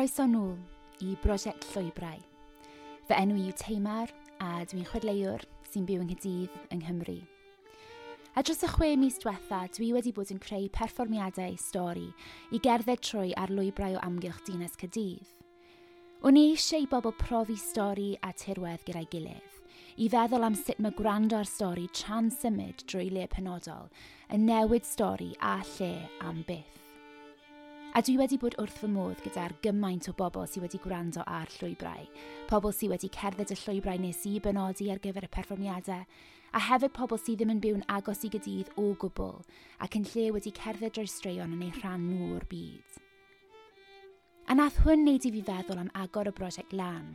Croeso nôl i Brosiect Llwybrau. Fy enw i yw Teimar a dwi'n chwedleuwr sy'n byw yng Nghaerdydd yng Nghymru. A dros y 6 mis diwetha, dwi wedi bod yn creu perfformiadau stori i gerdded trwy ar lwybrau o amgylch dinas Caerdydd. O'n i eisiau i bobl profi stori a tirwedd gyda'i gilydd, i feddwl am sut mae gwrando ar stori tra'n symud drwy le penodol yn newid stori a lle am byth. A dwi wedi bod wrth fy modd gyda'r gymaint o bobl sydd wedi gwrando ar llwybrau, pobl sydd wedi cerdded y llwybrau nes i benodi ar gyfer y perfformiadau, a hefyd pobl sydd ddim yn byw'n agos i Gaerdydd o gwbl, ac yn lle wedi cerdded drwy straeon yn eu rhan nhw o'r byd. A nath hwn wneud i fi feddwl am agor y brosiect lan,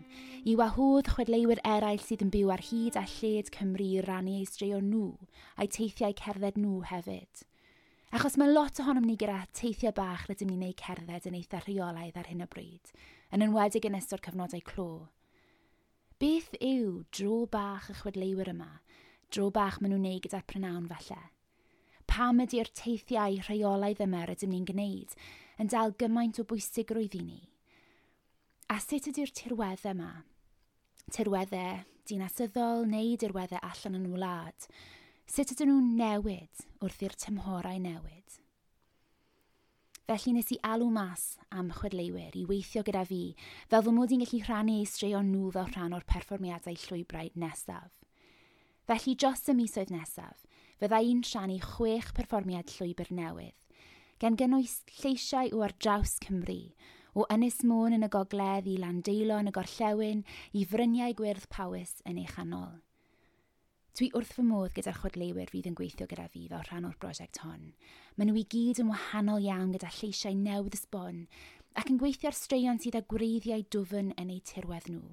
i wahodd chwedleuwyr eraill sydd yn byw ar hyd a lled Cymru i rannu eu straeon nhw, a'u teithiau cerdded nhw hefyd. Achos mae lot ohonom ni gyda teithiau bach rydym ni'n eu cerdded yn eitha rheolaidd ar hyn o bryd, yn enwedig yn ystod cyfnodau clo. Beth yw dro bach y chwedleuwyr yma? Dro bach maen nhw'n neud gyda'r prynawn falle? Pam ydy'r teithiau rheolaidd yma rydym ni'n gwneud yn dal gymaint o bwysigrwydd i ni? A sut ydy'r tirweddau yma? Tirweddau dinasyddol neu dirweddau allan yn wlad? Sut ydyn nhw'n newid wrth i'r tymhorau newid? Felly nes i alw mas am chwedleuwyr i weithio gyda fi, fel fy mod i'n gallu rhannu eu straeon nhw fel rhan o'r perfformiadau llwybrau nesaf. Felly dros y misoedd nesaf, fydda i'n rhannu 6 perfformiad llwybr newydd, gan gynnwys lleisiau o ar draws Cymru, o Ynys Môn yn y gogledd i Landeilo yn y gorllewin i Fryniau Gwyrdd Powys yn ei chanol. Dwi wrth fy modd gyda'r chwedleuwyr fydd yn gweithio gyda fi fel rhan o'r brosiect hon. Maen nhw i gyd yn wahanol iawn gyda lleisiau newydd sbon ac yn gweithio ar straeon sydd â gwreiddiau dwfn yn eu tirwedd nhw.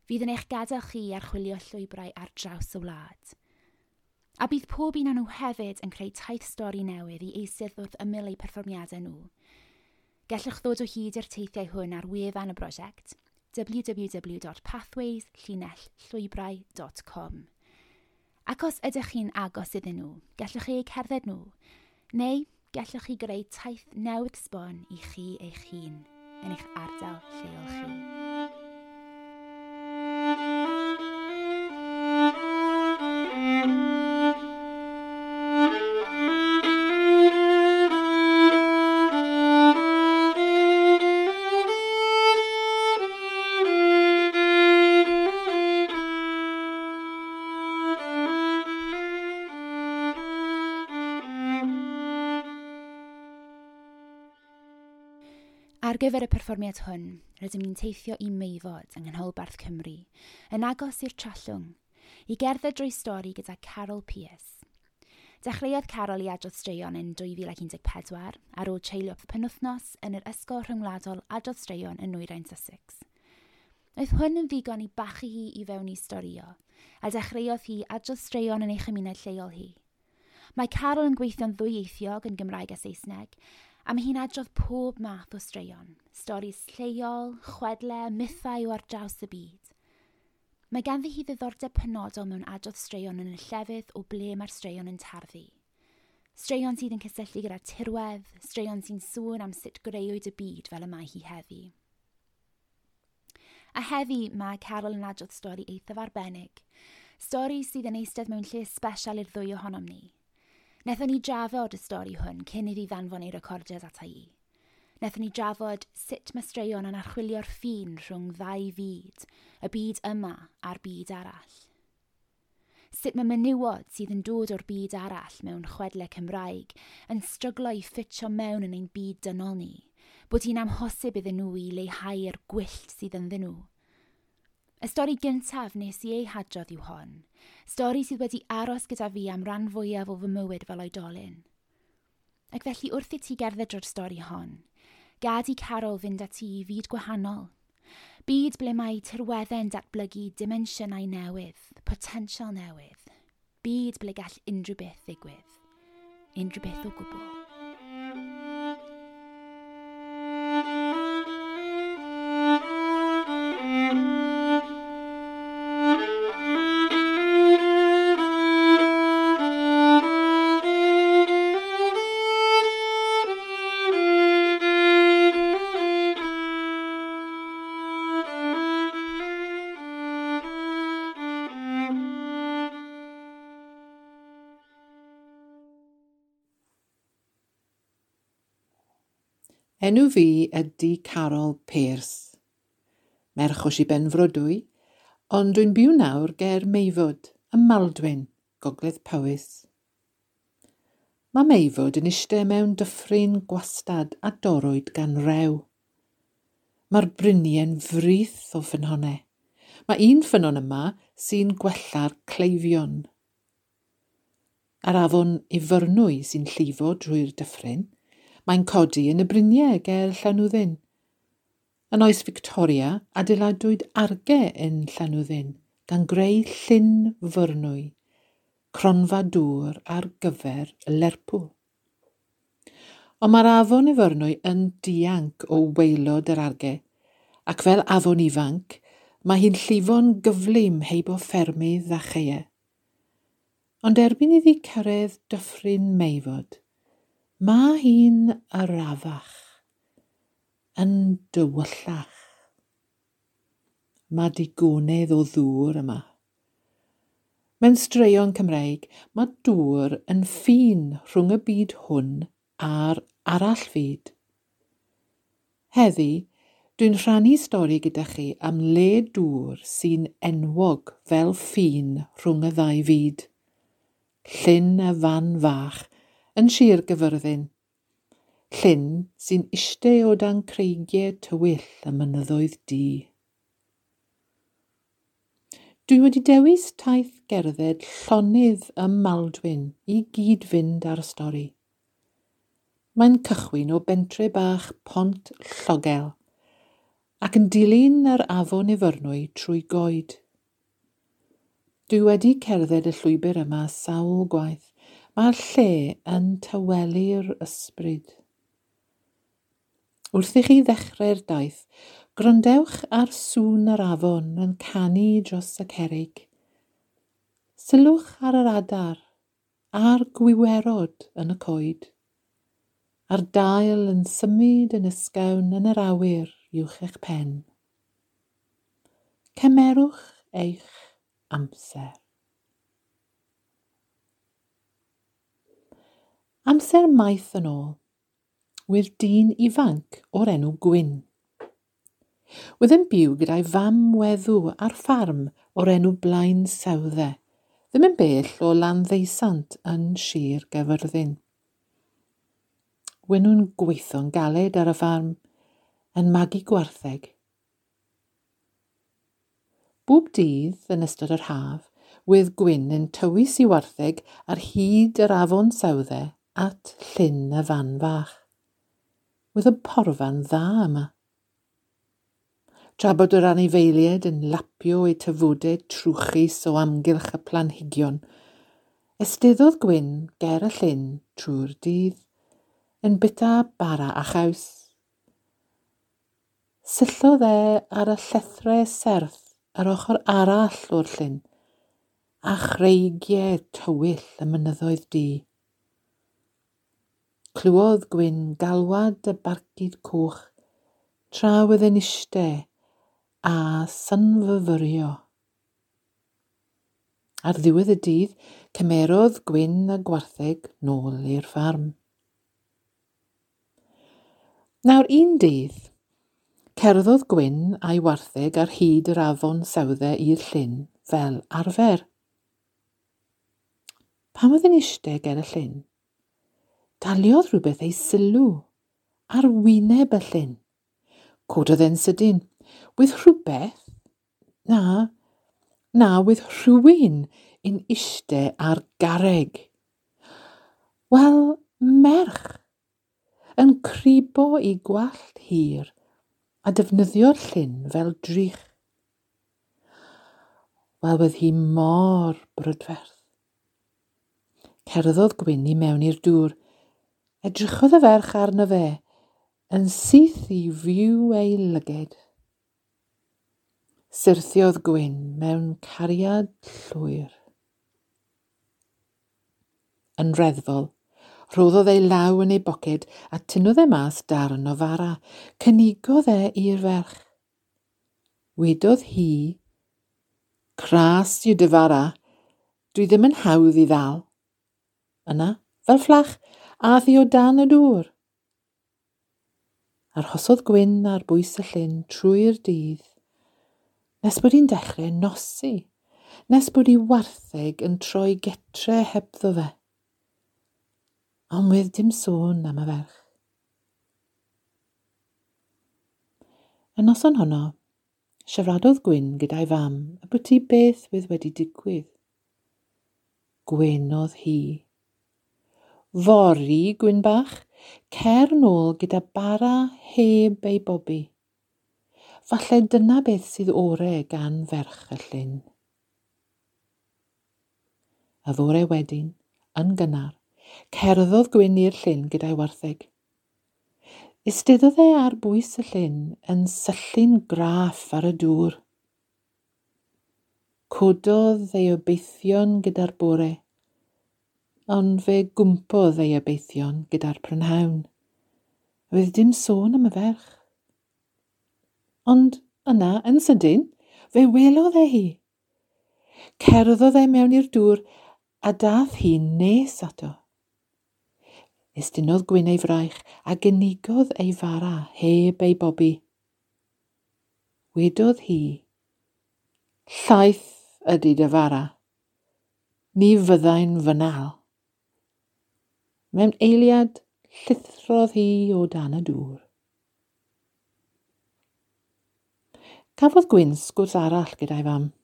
Fydd yn eich gadael chi archwilio llwybrau ar draws y wlad. A bydd pob un o'n nhw hefyd yn creu taith stori newydd i eistedd wrth ymyl eu perfformiadau nhw. Gallwch ddod o hyd i'r teithiau hwn ar wefan y brosiect www.pathways-llwybrau.com. Ac os ydych chi'n agos iddyn nhw, gallwch chi eu cerdded nhw, neu gallwch chi greu taith newydd sbon i chi eich hun yn eich ardal lleol chi. Ar gyfer y perfformiad hwn, rydym ni'n teithio i Meifod yng Nghanolbarth Cymru, yn agos i'r Trallwng, i gerdded drwy stori gyda Carol Pearce. Dechreuodd Carol i adrodd straeon yn 2014 ar ôl treulio penwythnos yn yr Ysgol Rhyngwladol Adrodd Straeon yn Nwyrain Sussex. Oedd hwn yn ddigon i bachu hi i fewn i storio, a dechreuodd hi adrodd straeon yn ei chymuned lleol hi. Mae Carol yn gweithio'n ddwyieithiog yn Gymraeg a Saesneg, a mae hi'n adrodd pob math o straeon, storis lleol, chwedle, mythau o ar draws y byd. Mae ganddi hi ddiddordeb penodol mewn adrodd straeon yn y llefydd o ble mae'r straeon yn tarddu. Straeon sydd yn cysylltu gyda tirwedd, straeon sy'n sôn am sut greuwyd y byd fel y mae hi heddi. A heddi mae Carol yn adrodd stori eithaf arbennig, stori sydd yn eistedd mewn lle sbesial i'r ddwy ohonom ni. Nethon ni drafod y stori hwn cyn iddi ddanfon ei recordiad ata i. Nethon ni drafod sut mae straeon yn archwilio'r ffin rhwng ddau fyd, y byd yma a'r byd arall. Sut mae menywod sydd yn dod o'r byd arall mewn chwedle Cymraeg yn stryglo i ffitio mewn yn ein byd dynol ni, bod hi'n amhosib iddyn nhw i leihau'r gwyllt sydd ynddyn nhw. Y stori gyntaf nes i ei hadrodd yw hon, stori sydd wedi aros gyda fi am ran fwyaf o fy mywyd fel oedolyn. Ac felly wrth i ti gerdded drwy'r stori hon, gad i Carol fynd â ti i fyd gwahanol. Byd ble mae tirweddau'n datblygu dimensiynau newydd, potensial newydd. Byd ble gall unrhyw beth ddigwydd. Unrhyw beth o gwbl. Enw fi ydy Carol Pearce. Merch o Sir Benfro dwi, ond dwi'n byw nawr ger Meifod, ym Maldwyn, Gogledd Powys. Mae Meifod yn eistedd mewn dyffryn gwastad a dorrwyd gan rew. Mae'r bryniau'n frith o ffynhonnau. Mae un ffynnon yma sy'n gwella'r cleifion. Ar afon Ifyrnwy sy'n llifo drwy'r dyffryn, mae'n codi yn y bryniau ger Llanwddyn. Yn oes Victoria, adeiladwyd arge yn Llanwddyn gan greu Llyn Fyrnwy, cronfa dŵr ar gyfer Lerpwl. Ond mae'r afon Ifyrnwy yn dianc o waelod yr arge, ac fel afon ifanc, mae hi'n llifo'n gyflym heibo ffermydd a chaeau. Ond erbyn iddi cyrraedd dyffryn Meifod, mae hi'n arafach, yn dywyllach. Mae digonedd o ddŵr yma. Mewn straeon Cymreig, mae dŵr yn ffin rhwng y byd hwn a'r arall fyd. Heddi, dwi'n rhannu stori gyda chi am le dŵr sy'n enwog fel ffin rhwng y ddau fyd. Llyn y Fan Fach yn Sir Gyfyrddin. Llyn sy'n iste o dan creigiau tywyll y mynyddoedd du. Dwi wedi dewis taith gerdded llonydd ym Maldwyn i gyd-fynd â'r stori. Mae'n cychwyn o bentre bach Pont Llogel ac yn dilyn yr afon Ifyrnwy trwy goed. Dwi wedi cerdded y llwybr yma sawl gwaith. Mae'r lle yn tawelu'r ysbryd. Wrth i chi ddechrau'r daith, gwrandewch ar sŵn yr afon yn canu dros y cerrig. Sylwch ar yr adar a'r gwiwerod yn y coed, a'r dail yn symud yn ysgawn yn yr awyr uwch eich pen. Cymerwch eich amser. Amser maith yn ôl, wedd dyn ifanc o'r enw Gwyn. Wedd yn byw gyda'i fam weddw ar ffarm o'r enw Blaen Sawdde, ddim yn bell o Landdeusant yn Sir Gaerfyrddin. Wen nhw'n gweithio'n galed ar y ffarm, yn magu gwartheg. Bob dydd yn ystod yr haf, wedd Gwyn yn tywys i wartheg ar hyd yr afon Sawdde at Llyn y Fan Fach. Wedd y porfa'n dda yma. Tra bod yr anifeiliaid yn lapio eu tafodau trwchus o amgylch y planhigion, esteddodd Gwyn ger y llyn trwy'r dydd, yn bita bara a chaws. Syllodd e ar y llethrau serth ar ochr arall o'r llyn, a chreigiau tywyll y mynyddoedd du. Clywodd Gwyn galwad y barcud coch tra oedd yn iste a synfyfyrio. Ar ddiwedd y dydd, cymerodd Gwyn a gwartheg nôl i'r ffarm. Nawr un dydd, cerddodd Gwyn a'i wartheg ar hyd yr afon Sawdde i'r llyn fel arfer. Pan oedd yn iste ger y llyn, daliodd rhywbeth ei sylw ar wyneb y llyn. Cododd e'n sydyn. Wedd rhywbeth? Na, wedd rhywun yn iste ar garreg. Wel, merch, yn cribo i gwallt hir a defnyddio'r llyn fel drych. Wel, wedd hi mor brydferth. Cerddodd Gwyn i mewn i'r dŵr. Edrychodd y ferch arno fe, yn syth i fyw ei lyged. Syrthiodd Gwyn mewn cariad llwyr. Yn reddfol, rhoddodd ei law yn ei boced a tynnodd e mas darn o fara. Cynigodd e i'r ferch. Wedodd hi, "Cras yw dy fara, dwi ddim yn hawdd i ddal." Yna, fel fflach, ath hi o dan y dŵr. Arhosodd Gwyn ar bwys y llyn trwy'r dydd, nes bod hi'n dechrau nosi, nes bod hi wartheg yn troi getre hebddo fe. Ond wedd dim sôn am y ferch. Y noson honno, siaradodd Gwyn gyda'i fam y bwti beth wedd wedi digwydd. Gwenodd hi. Fory, Gwyn bach, cer nôl gyda bara heb ei bobi. Falle dyna beth sydd ore gan ferch y llyn. Y fore wedyn, yn gynnar, cerddodd Gwyn i'r llyn gyda'i wartheg. Eisteddodd e ar bwys y llyn yn syllu'n graff ar y dŵr. Cododd ei obeithion gyda'r bore, ond fe gwmpodd ei obeithion gyda'r prynhawn. Roedd dim sôn am y ferch. Ond yna, yn sydyn, fe welodd e hi. Cerddodd e mewn i'r dŵr a dath hi nes ato. Estynnodd Gwyn ei fraich a gynigodd ei fara heb ei bobi. Wedodd hi, llaeth ydy dy fara. Ni fyddai'n fynnal. Mewn eiliad, llithrodd hi o dan y dŵr. Cafodd Gwyn sgwrs arall gyda'i fam.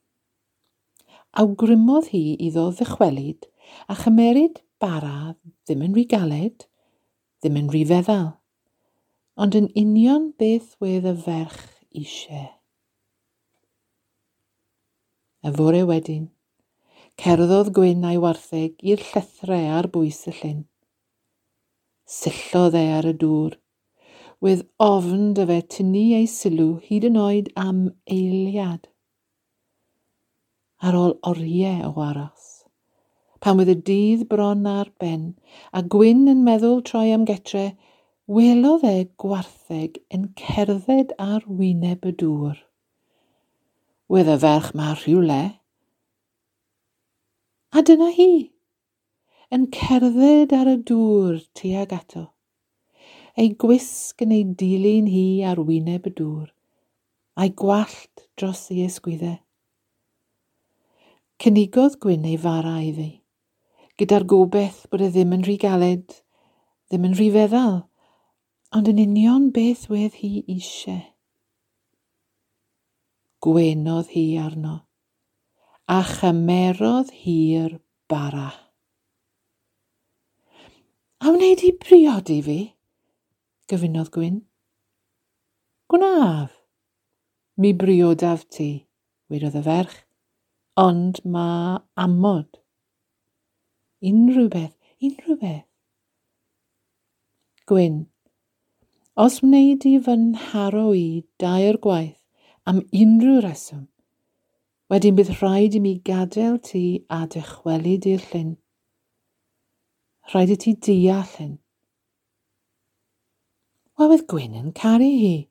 Awgrymodd hi iddo ddychwelyd a chymeryd bara ddim yn rhy galed, ddim yn rhy feddal, ond yn union beth wedd y ferch eisiau. Y fore wedyn, cerddodd Gwyn a'i wartheg i'r llethrau ar bwys y llyn. Syllodd e ar y dŵr, wedd ofn dy fe tynnu ei sylw hyd yn oed am eiliad. Ar ôl oriau o aros, pan wedd y dydd bron ar ben a Gwyn yn meddwl troi am getre, welodd e gwartheg yn cerdded ar wyneb y dŵr. Wedd y ferch ma rhywle. A dyna hi, yn cerdded ar y dŵr tuag ato. Ei gwisg yn ei dilyn hi ar wyneb y dŵr, a'i gwallt dros ei ysgwyddau. Cynigodd Gwyn ei fara iddi, gyda'r gobeith bod e ddim yn rhy galed, ddim yn rhy feddal, ond yn union beth wedd hi eisiau. Gwenodd hi arno, a chymerodd hi'r bara. A wneud i briodi fi? Gofynnodd Gwyn. Gwnaf. Mi briodaf ti, wedodd y ferch, ond ma amod. Unrhyw beth, unrhyw beth. Gwyn, os wnei di fy nharo i dair gwaith am unrhyw reswm, wedyn bydd rhaid i mi gadael ti a dychwelyd i'r llyn. Rhaid i ti deall hyn. Wel, wedd Gwyn yn caru hi.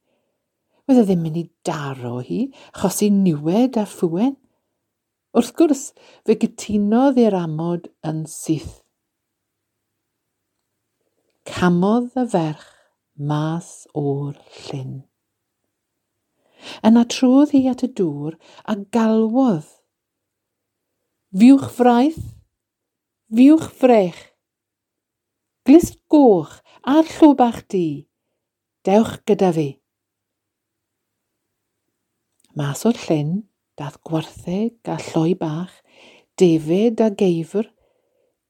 Wedd e ddim mynd i daro hi, achosi niwed a ffwen. Wrth gwrs, fe gytunodd i'r amod yn syth. Camodd y ferch mas o'r llyn. Yna trodd hi at y dŵr a galwodd. Fiwch fraith, fiwch frech. Glust goch a'r llw bach du, dewch gyda fi. Mas o'r llyn, dath gwartheg a lloi bach, defed a geifr,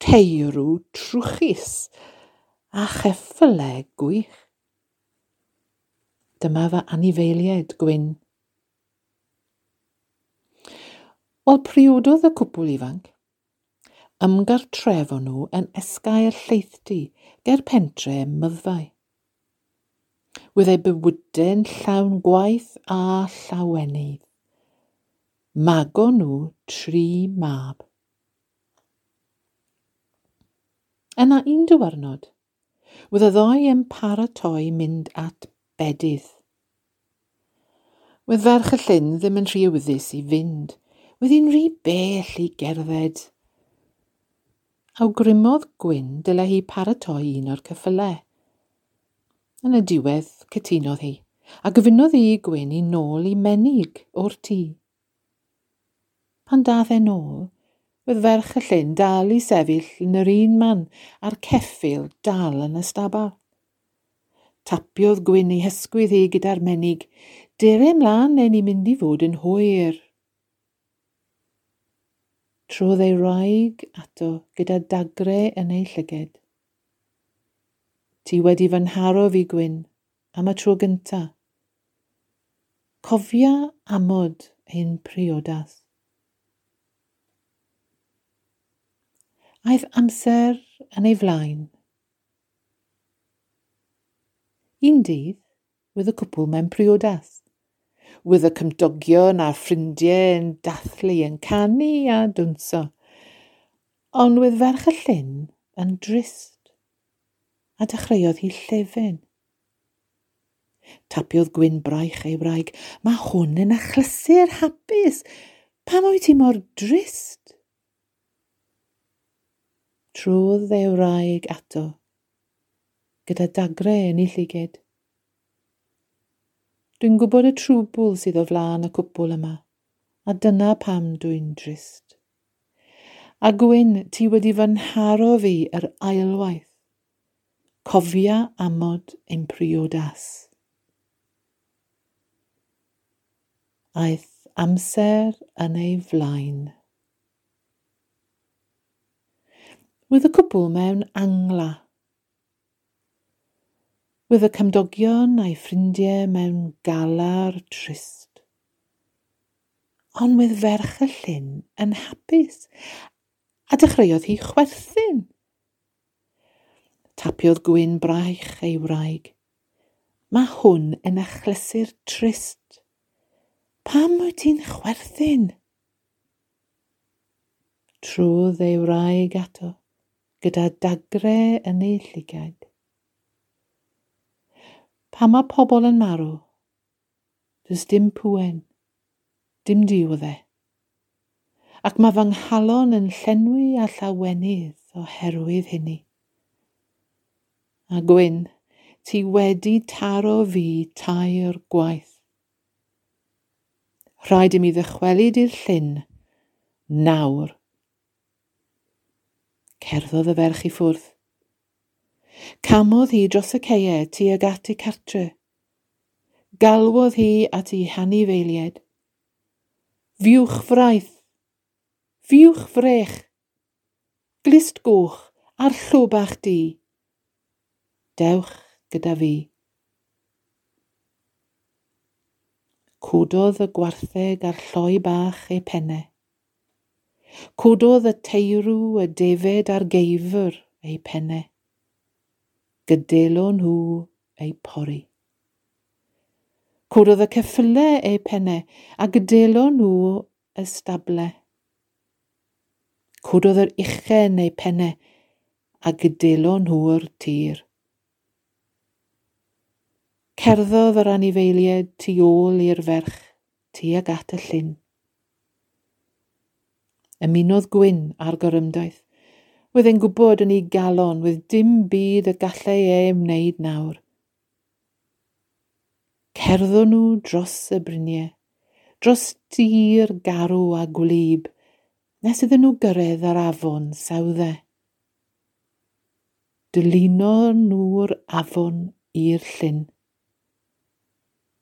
teirw trwchus a cheffylau gwych. Dyma fy anifeiliaid, Gwyn. Wel, priododd y cwpwl ifanc. Ymgartrefon nhw yn esgair lleithdy ger pentre Myddfai. Wedd eu bywydau'n llawn gwaith a llawenydd. Magon nhw 3 mab. Yna un diwrnod, wedd y ddoi yn paratoi mynd at bedydd. Wedd ferch y llyn ddim yn rhy awyddus i fynd. Wedd hi'n rhy bell i gerdded. Awgrymodd Gwyn dyle hi paratoi un o'r ceffylau. Yn y diwedd, cytunodd hi, a gofynnodd hi i Gwyn i nôl i menig o'r tŷ. Pan dath e nôl, roedd ferch y llyn dal i sefyll yn yr un man a'r ceffyl dal yn y stabal. Tapiodd Gwyn ei hysgwydd hi gyda'r menig. Dere mlaen neu ni'n mynd i fod yn hwyr. Trodd ei wraig ato gyda dagre yn ei llyged. Ti wedi fy nharo fi, Gwyn, am y tro gynta. Cofia amod ein priodas. Aeth amser yn ei flaen. Un dydd, wedd y cwpl mewn priodas. Wedd y cymdogion a'r ffrindiau yn dathlu, yn canu a dwnso. Ond wedd ferch y llyn yn drist, a dechreuodd hi llefen. Tapiodd Gwyn braich ei wraig. Mae hwn yn achlysur hapus. Pam wyt ti mor drist? Trodd ei wraig ato, gyda dagre yn ei llyged. Dwi'n gwybod y trwbwl sydd o flaen y cwpwl yma, a dyna pam dwi'n drist. A Gwyn, ti wedi fy nharo fi yr ailwaith. Cofia amod ein priodas. Aeth amser yn ei flaen. Wedd y cwpl mewn angla. Wedd y cymdogion a'i ffrindiau mewn galar trist. Ond wedd ferch y llyn yn hapus, a dechreuodd hi chwerthin. Tapiodd Gwyn braich ei wraig. Mae hwn yn achlysur trist. Pam wyt ti'n chwerthin? Trodd ei wraig ato, gyda dagre yn ei llygaid. Pan mae pobl yn marw, does dim pŵen, dim diwedd e. Ac mae fy nghalon yn llenwi â llawenydd oherwydd hynny. A Gwyn, ti wedi taro fi 3 gwaith. Rhaid i mi ddychwelyd i'r llyn nawr. Cerddodd y ferch i ffwrdd. Camodd hi dros y caeau tuag at ei cartre. Galwodd hi at ei hanifeiliaid. Fiwch fraith, fiwch frech, glust goch a'r llwbach du. Dewch gyda fi. Cododd y gwartheg a'r lloi bach ei pennau. Cododd y teirw, y defed a'r geifr ei pennau. Gydelo nhw ei pori. Cododd y ceffylau eu pennau a gydelo nhw y stable. Cododd yr uchen eu pennau a gydelo nhw'r tir. Cerddodd yr anifeiliaid tu ôl i'r ferch tuag at y llyn. Ymunodd Gwyn â'r gorymdaith. Wedd e'n gwybod yn ei galon, wedd dim byd y gallai e wneud nawr. Cerddon nhw dros y bryniau, dros dir garw a gwlyb, nes iddyn nhw gyrraedd yr afon Sawdde. Dylunon nhw'r afon i'r llyn.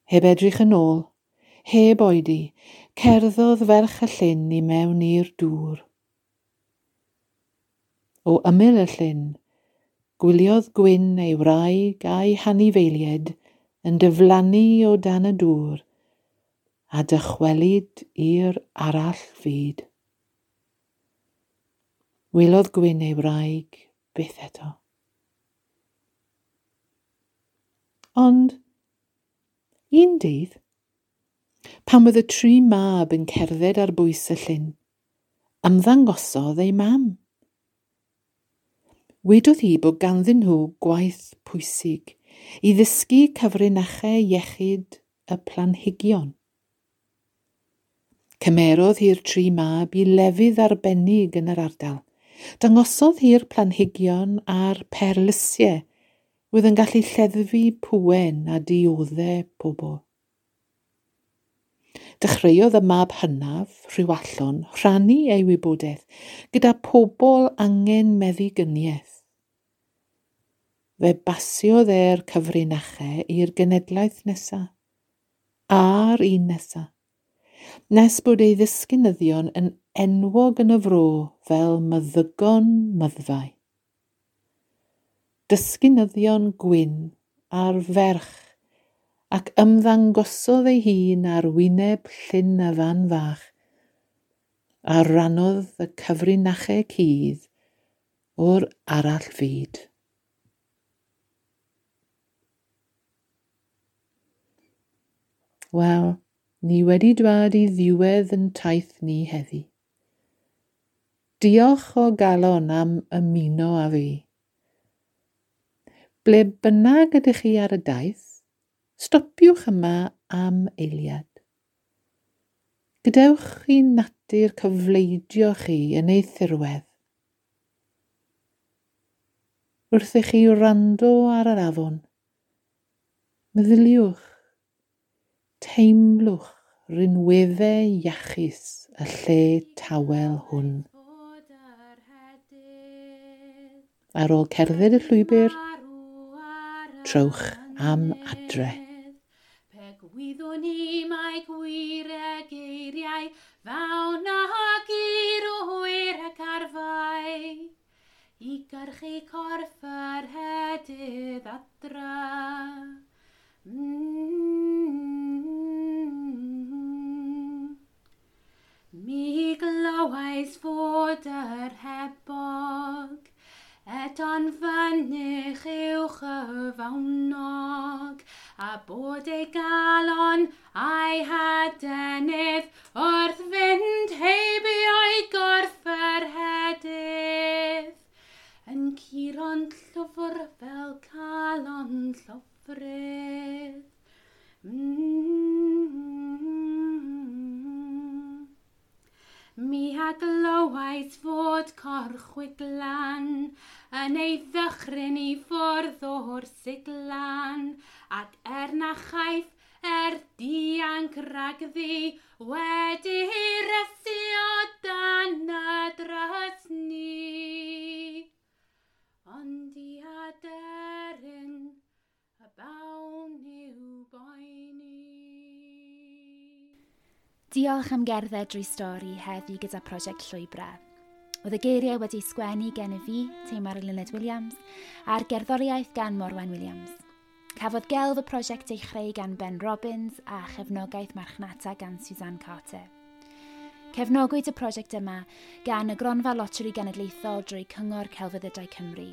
Heb edrych yn ôl, heb oedi, cerddodd ferch y llyn i mewn i'r dŵr. O ymyl y llyn, gwyliodd Gwyn ei wraig a'i hanifeiliaid yn diflannu o dan y dŵr a dychwelyd i'r arall fyd. Welodd Gwyn ei wraig byth eto. Ond un dydd, pan oedd y 3 mab yn cerdded ar bwys y llyn, ymddangosodd ei mam. Wedodd hi bod ganddyn nhw gwaith pwysig i ddysgu cyfrinachau iechyd y planhigion. Cymerodd hi'r 3 mab i lefydd arbennig yn yr ardal. Dangosodd hi'r planhigion a'r perlysiau Oedd yn gallu lleddfu pwen a dioddau pobl. Dechreuodd y mab hynaf, Rhiwallon, rhannu ei wybodaeth gyda pobl angen meddigyniaeth. Fe basiodd e'r cyfrinachau i'r genedlaeth nesaf, a'r un nesaf, nes bod ei ddisgynyddion yn enwog yn y fro fel meddygon myddfau. Dysgynyddion gwyn a'r ferch ac ymddangosodd ei hun ar wyneb Llyn y Fan Fach a rannodd y cyfrinachau cudd o'r arall fyd. Wel, ni wedi dwad i ddiwedd yn taith ni heddi. Diolch o galon am ymuno â fi. Ble bynnag ydych chi ar y daith, stopiwch yma am eiliad. Gadewch i natur cyfleidio chi yn ei thirwedd. Wrth i chi wrando ar yr afon, meddyliwch, teimlwch rinweddau iachus y lle tawel hwn. Ar ôl cerdded y llwybr, trowch am adre. Gwyddwn i mai gwir y geiriau fawn ag i'r hwyr ac arfau i gyrchu corff yr hedydd adra. Mi glywais fod yr hebog eto'n fynych uwch y fawnog, a bod ei galon a'i hadenydd wrth fynd heibio'i gorff yr hedydd, yn curo'n llwfr fel calon llofrudd. Mi a glywais fod corchwiglan yn ei ddychryn i ffwrdd o'r siglan, ac er na chaiff er dianc rhagddi wedi rysu o dan y drysni. Ond i aderyn y bawn i'w boeni. Diolch am gerdded drwy stori heddi gyda Prosiect Llwybrau. Oedd y geiriau wedi sgwennu gen i fi, Teimar Eluned Williams, a'r gerddoriaeth gan Morwen Williams. Cafodd gelf y prosiect ei chreu gan Ben Robbins a chefnogaeth marchnata gan Suzanne Carter. Cefnogwyd y prosiect yma gan y Gronfa Loteri Genedlaethol drwy Cyngor Celfyddydau Cymru.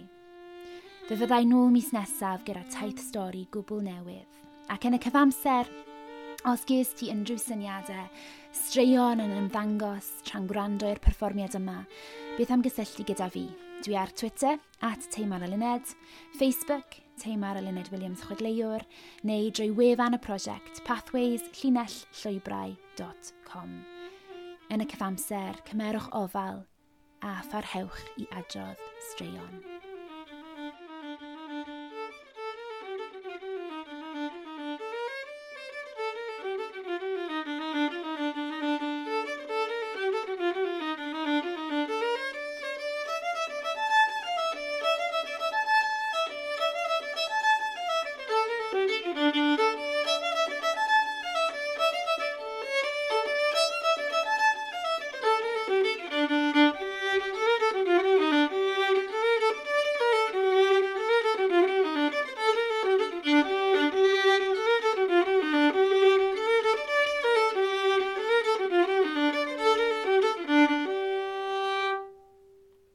Fe fyddai nôl mis nesaf gyda taith stori gwbl newydd. Ac yn y cyfamser, os ges ti unrhyw syniadau, straeon yn ymddangos tra'n gwrando i'r perfformiad yma, beth am gysylltu gyda fi? Dwi ar Twitter, @TeimarEluned, Facebook, Teimar Eluned Williams Chwedleuwr, neu drwy wefan y prosiect pathways-llwybrau.com. Yn y cyfamser, cymerwch ofal a pharhewch i adrodd straeon.